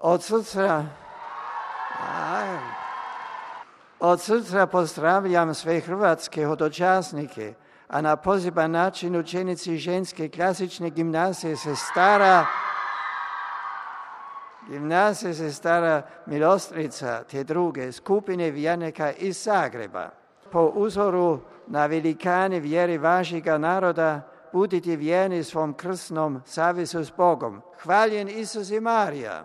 Od srca pozdravljam sve hrvatske hodočasnike, a na poseban način učenici ženske klasične gimnazije Sestara Milostrica te druge skupine vjernika iz Zagreba. Po uzoru na velikane vjere vašega naroda budite vjerni svom krsnom savezu s Bogom. Hvaljen Isus i Marija.